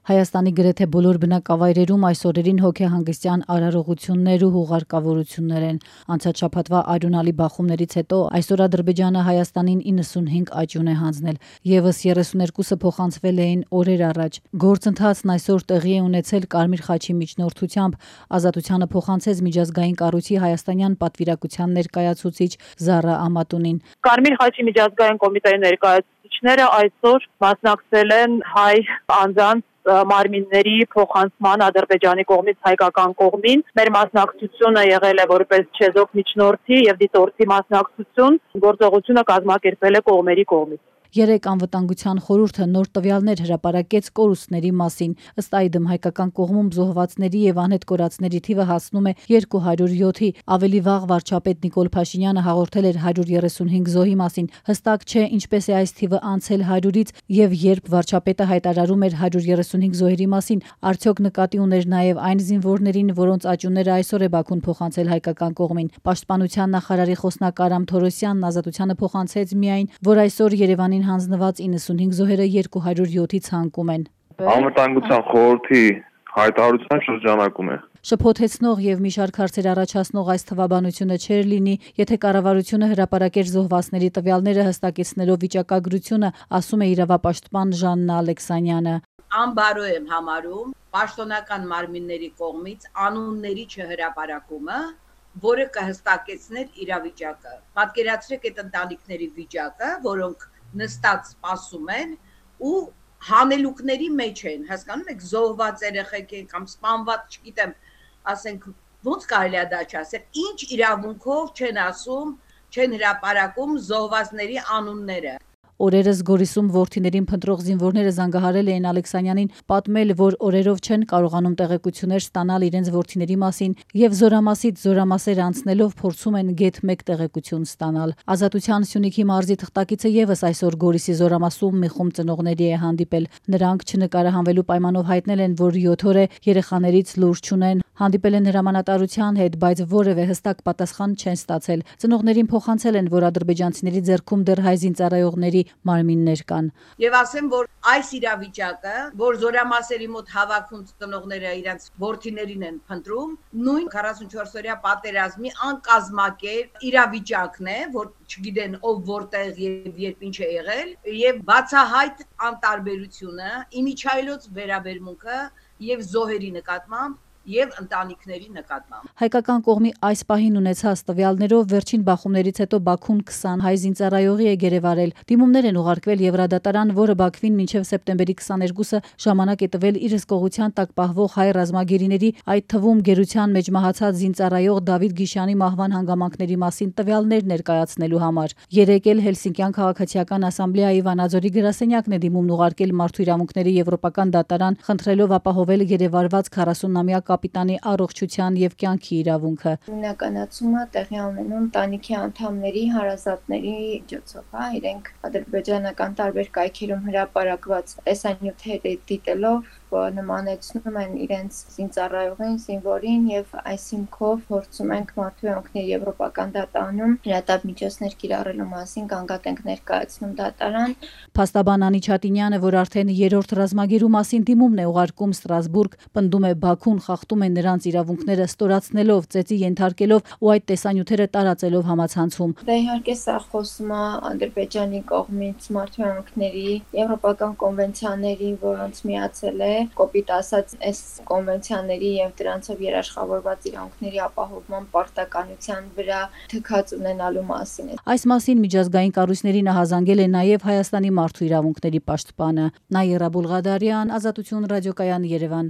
Հայաստանի գրեթե բոլոր բնակավայրերում այս օրերին հոգեհանգստյան արարողություններ ու հուղարկավորություններ են։ Անցած շաբաթվա արյունալի բախումներից հետո այսօր Ադրբեջանը Հայաստանին 95 աճյուն է հանձնել, ևս 32-ը փոխանցվել էին օրեր առաջ։ Գործընթացն այսօր տեղի է ունեցել Կարմիր խաչի միջնորդությամբ։ Ազատությանը փոխանցեց միջազգային կառույցի հայաստանյան պատվիրակության ներկայացուցիչ Զարա Ամատունին։ Կարմիր խաչի միջազգային կոմիտեի ներկայացուցիչները այսօր մասնակցել են հայ անձանց մարմինների փոխանցման Ադրբեջանի կողմից հայկական կողմին։ Մեր մասնակցությունը եղել է որպես չեզոք միջնորդի եւ դիտորդի մասնակցություն։ Գործողությունը կազմակերպվել է կողմերի կողմից։ Երեկ անվտանգության խորհուրդը նոր տվյալներ հրապարակեց կորուստների մասին։ Ըստ այդմ հայկական կողմում զոհվածների եւ անհետ կորածների թիվը հասնում է 207-ի։ Ավելի վաղ վարչապետ Նիկոլ Փաշինյանը հաղորդել էր 135 զոհի մասին։ Հստակ չէ ինչպես է այս թիվը անցել 100-ից եւ երբ վարչապետը հայտարարում էր 135 զոհերի մասին, արդյոք նկատի ուներ նաեւ այն զինվորներին, որոնց աճյունները այսօր է Բաքուն փոխանցել հայկական կողմին։ Պաշտպանության նախարարի խոսնակ Արամ Թորոսյանն Ազատությանը փոխանցեց միայն, որ այսօր Երևանին հանձնված 95 զոհերը 207-ի ցանկում են։ Անվտանգության խորհրդի հայտարարության շրջանակում է։ Շփոթեցնող եւ մի շարք հարցեր առաջացնող այս թվաբանությունը չէր լինի, եթե կառավարությունը հրապարակեր զոհվածների տվյալները հստակեցնելով վիճակագրությունը, ասում է իրավապաշտպան Ժաննա Ալեքսանյանը։ Անբարո եմ համարում պաշտոնական մարմինների կողմից անունների չհրապարակումը, որը կհստակեցներ իրավիճակը։ Պատկերացրեք այդ ընտանիքների վիճակը, որոնք նստած սպասում են ու հանելուկների մեջ են, հասկանում եք, զոհված երեխեք են կամ սպանված, չգիտեմ, ասենք ոնց կարելի է դա չասել, ինչ իրավունքով չեն ասում, չեն հրապարակում զոհվածների անունները։ Օրերս Գորիսում որդիներին փնտրող զինվորները զանգահարել էին Ալեքսանյանին, պատմել, որ օրերով չեն կարողանում տեղեկություններ ստանալ իրենց որդիների մասին եւ զորամասից զորամասեր անցնելով փորձում են գեթ 1 տեղեկություն ստանալ։ Ազատության Սյունիքի մարզի թղթակիցը եւս այսօր Գորիսի զորամասում մի խումբ ծնողների է հանդիպել։ Նրանք չնկարահանվելու պայմանով հայտնել են, որ 7 օր է երեխաներից լուրջ չունեն, հանդիպել են հրամանատարության հետ, բայց որևէ հստակ պատասխան չեն ստացել։ Ծնողներին փոխանցել են, որ ադրբեջանցիների ձեռքում դեռ հայ զինծառայողների մարմիններ կան։ Եվ ասեմ, որ այս իրավիճակը, որ զորամասերի մոտ հավաքուն ծնողները իրենց որդիներին են փնտրում, նույն 44-օրյա պատերազմի անկազմակերպ իրավիճակն է, որ չգիտեն ով որտեղ եւ երբ ինչ է եղել, եւ բացահայտ անտարբերությունը, իմիջայլոց վերաբերմունքը եւ զոհերի նկատմամբ եւ ընտանիքների նկատմամբ։ Հայկական կողմի այս պահին ունեցած տվյալներով վերջին բախումներից հետո Բաքուն 20 հայ զինծառայողի է գերեվարել։ Դիմումներ են ուղարկվել Եվրադատարան, որը Բաքվին մինչև սեպտեմբերի 22-ը ժամանակ է տվել իր հսկողության տակ պահվող հայ ռազմագերիների, այդ թվում գերության մեջ մահացած զինծառայող Դավիթ Գիշյանի մահվան հանգամանքների մասին տվյալներ ներկայացնելու համար։ Երեկ էլ Հելսինկյան քաղաքացիական ասամբլեայի Վանաձորի գրասենյակն է դիմումն ուղարկել Մարդու իրավունքների եվրոպական դատարան, խնդրելով ապահովել գերեվարված 40-ամյա կապիտանի առողջության եւ կյանքի իրավունքը։ Հիմնականացումը տեղի ունենում ընտանիքի անդամների, հարազատների միջոցով, իրենք ադրբեջանական տարբեր կայքերում հրապարակված տեսանյութերը դիտելով նմանեցնում են իրենց զինծառայողին, զինվորին եւ այս հիմքով փորձում ենք Մարդու իրավունքների եվրոպական դատարանում հրատապ միջոցներ կիրառելու մասին գանգատ ենք ներկայացնում դատարան։ Փաստաբան Անի Չատինյանը, որ արդեն երրորդ ռազմագերու մասին դիմումն է ուղարկում Ստրասբուրգ, պնդում է Բաքուն խախտում է նրանց իրավունքները ստորացնելով, ծեծի ենթարկելով ու այդ տեսանյութերը տարածելով համացանցում։ Դա իհարկե սա խոսում է Ադրբեջանի կողմից Մարդու իրավունքների եվրոպական կոնվենցիաների, որոնց միացել է կոպիտ ասած այս կոնվենցիաների եւ դրանցով երաշխավորված իրավունքների ապահովման պարտականության վրա թքած ունենալու մասին է։ Այս մասին միջազգային կառույցներին ահազանգել է նաեւ Հայաստանի մարդու իրավունքների պաշտպանը Նաիրա Բուլղադարյան, Ազատություն ռադիոկայան, Երևան։